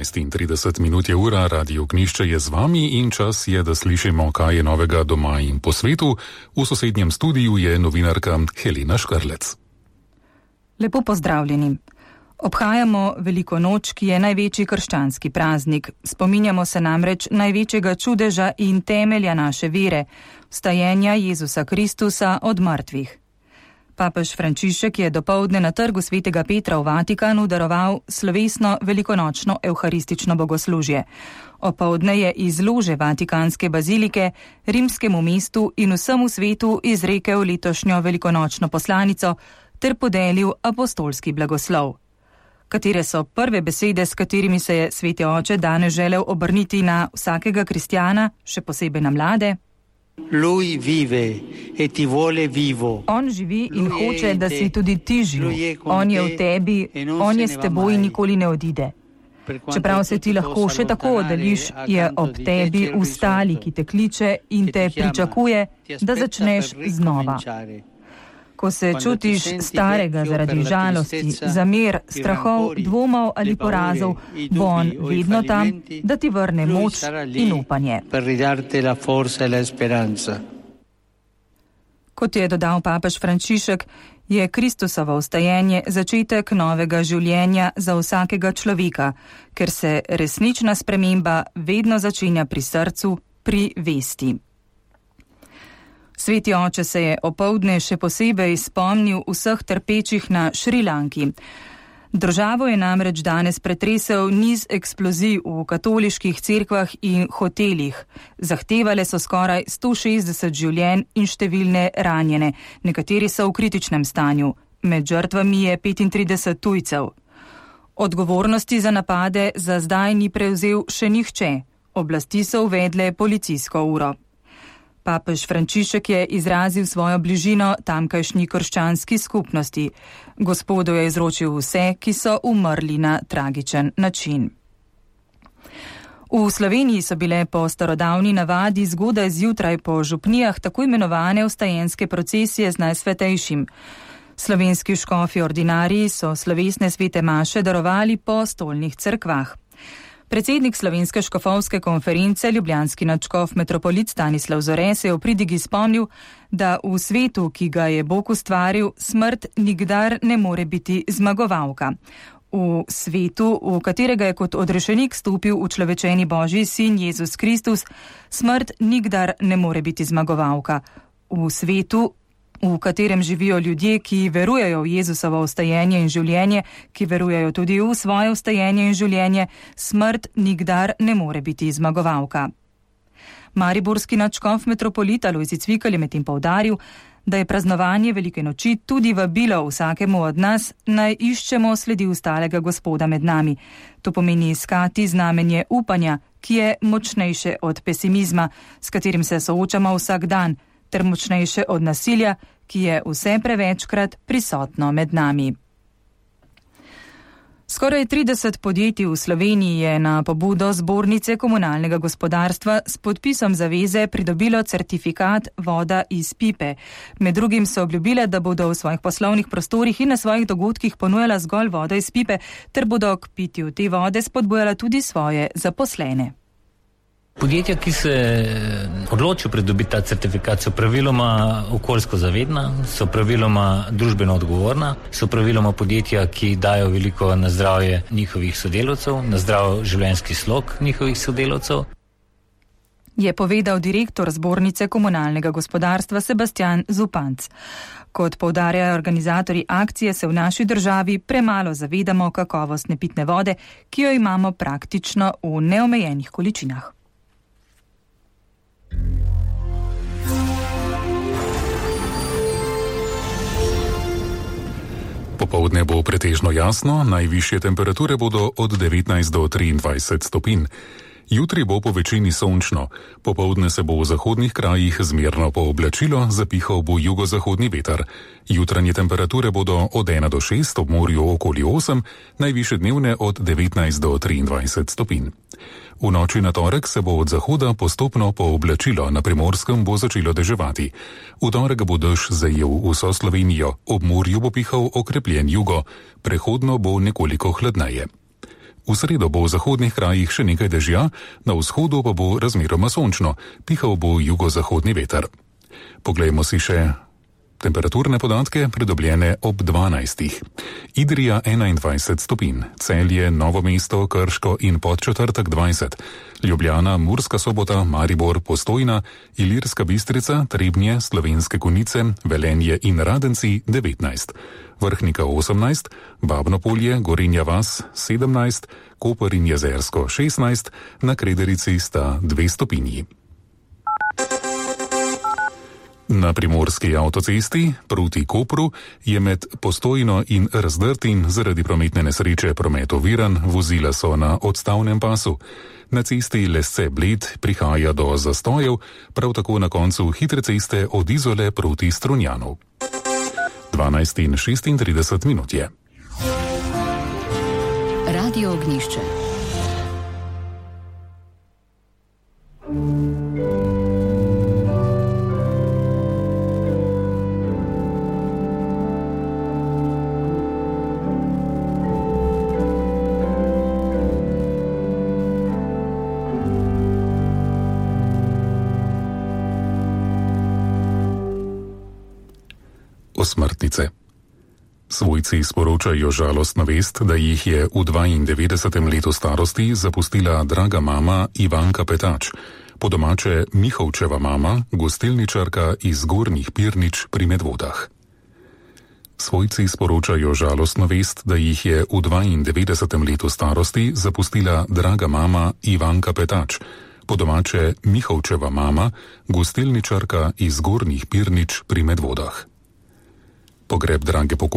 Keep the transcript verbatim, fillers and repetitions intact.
enajst in trideset minut je ura, Radio Ognjišče je z vami in čas je, da slišimo, kaj je novega doma in po svetu. V sosednjem studiu je novinarka Helena Škrlec. Lepo pozdravljeni. Obhajamo Veliko noč, ki je največji krščanski praznik. Spominjamo se namreč največjega čudeža in temelja naše vere, vstajenja Jezusa Kristusa od mrtvih. Papež Frančišek je dopoldne na trgu svetega Petra v Vatikanu daroval slovesno velikonočno evharistično bogoslužje. Opoldne je iz lože Vatikanske bazilike rimskemu mestu in vsemu svetu izrekel letošnjo velikonočno poslanico ter podelil apostolski blagoslov. Katere so prve besede, s katerimi se je sveti oče danes želel obrniti na vsakega kristjana, še posebej na mlade? Lui vive e ti vuole vivo. On živi in hoče, da si tudi ti živ. On je v tebi, on je s teboj in nikoli ne odide. Čeprav se ti lahko še tako oddaljiš, je ob tebi v stali, ki te kliče in te pričakuje, da začneš znova. Ko se čutiš starega zaradi žalosti, zamer, strahov, dvomov ali porazov, bo on vedno tam, da ti vrne moč in upanje. Kot je dodal papež Frančišek, je Kristusovo vstajenje začetek novega življenja za vsakega človeka, ker se resnična sprememba vedno začenja pri srcu, pri vesti. Sveti oče se je opoldne še posebej spomnil vseh trpečih na Šrilanki. Državo je namreč danes pretresel niz eksplozij v katoliških cerkvah in hotelih. Zahtevale so skoraj sto šestdeset življenj in številne ranjene, nekateri so v kritičnem stanju. Med žrtvami je petintrideset tujcev. Odgovornosti za napade za zdaj ni prevzel še nihče. Oblasti so uvedle policijsko uro. Papež Frančišek je izrazil svojo bližino tamkajšnji krščanski skupnosti. Gospodu je izročil vse, ki so umrli na tragičen način. V Sloveniji so bile po starodavni navadi zgodaj zjutraj po župnijah tako imenovane vstajenske procesije z Najsvetejšim. Slovenski škofi ordinariji so slovesne svete maše darovali po stolnih cerkvah. Predsednik Slovenske škofovske konference, ljubljanski nadškof metropolit Stanislav Zore, se je v pridigi spomnil, da v svetu, ki ga je Bog ustvaril, smrt nikdar ne more biti zmagovalka. V svetu, v katerega je kot odrešenik stopil učlovečeni Božji sin Jezus Kristus, smrt nikdar ne more biti zmagovalka. V svetu, v katerem živijo ljudje, ki verujejo v Jezusovo vstajenje in življenje, ki verujejo tudi v svoje vstajenje in življenje, smrt nikdar ne more biti zmagovalka. Mariborski nadškof metropolita Lojzi Cvikl je medtem poudaril, da je praznovanje Velike noči tudi vabilo vsakemu od nas, naj iščemo sledi ustalega Gospoda med nami. To pomeni iskati znamenje upanja, ki je močnejše od pesimizma, s katerim se soočamo vsak dan, ter močnejše od nasilja, ki je vse prevečkrat prisotno med nami. Skoraj trideset podjetij v Sloveniji je na pobudo Zbornice komunalnega gospodarstva s podpisom zaveze pridobilo certifikat voda iz pipe. Med drugim so obljubile, da bodo v svojih poslovnih prostorih in na svojih dogodkih ponujala zgolj vodo iz pipe, ter bodo k pitju te vode spodbujala tudi svoje zaposlene. Podjetja, ki se odločijo pridobiti ta certifikat, so praviloma okoljsko zavedna, so praviloma družbeno odgovorna, so praviloma podjetja, ki dajo veliko na zdravje njihovih sodelavcev, na zdrav življenjski slog njihovih sodelavcev. Je povedal direktor Zbornice komunalnega gospodarstva Sebastian Zupanc. Kot poudarjajo organizatorji akcije, se v naši državi premalo zavedamo kakovostne pitne vode, ki jo imamo praktično v neomejenih količinah. Popoldne bo pretežno jasno, najvišje temperature bodo od devetnajst do triindvajset stopinj. Jutri bo po večini sončno, popoldne se bo v zahodnih krajih zmerno pooblačilo, zapihal bo jugozahodni veter. Jutranje temperature bodo od ena do šest, ob morju okoli osem, najvišje dnevne od devetnajst do triindvajset stopinj. V noči na torek se bo od zahoda postopno pooblačilo, na Primorskem bo začelo deževati. V torek bo dež zajel vso Slovenijo, ob morju bo pihal okrepljen jugo, prehodno bo nekoliko hladneje. V sredo bo v zahodnih krajih še nekaj dežja, na vzhodu pa bo razmeroma sončno, pihal bo jugozahodni veter. Poglejmo si še temperaturne podatke, pridobljene ob dvanajstih. Idrija enaindvajset stopinj, Celje, Novo mesto, Krško in Podčetrtek dvajset, Ljubljana, Murska Sobota, Maribor, Postojna, Ilirska Bistrica, Trebnje, Slovenske Konjice, Velenje in Radenci devetnajst, Vrhnika osemnajst, Babno Polje, Gorenja vas sedemnajst, Koper in Jezersko šestnajst, na Krederici sta dve stopinji. Na primorski avtocesti proti Kopru je med Postojno in Razdrtim zaradi prometne nesreče promet oviran, vozila so na odstavnem pasu. Na cesti Lesce-Bled prihaja do zastojev, prav tako na koncu hitre ceste od Izole proti Strunjanu. dvanajst in šestintrideset minut je. Radio Ognjišče. Smrtnice. Svojci sporočajo žalostno vest, da jih je v dvaindevetdesetem letu starosti zapustila draga mama Ivanka Petač, po domače Mihovčeva mama, gostilničarka iz Gornjih Pirnič pri Medvodah. Svojci sporočajo žalostno vest, da jih je v dvaindevetdesetem letu starosti zapustila draga mama Ivanka Petač, po domače Mihovčeva mama, gostilničarka iz Gornjih Pirnič pri Medvodah. Pogreb drage pokojnice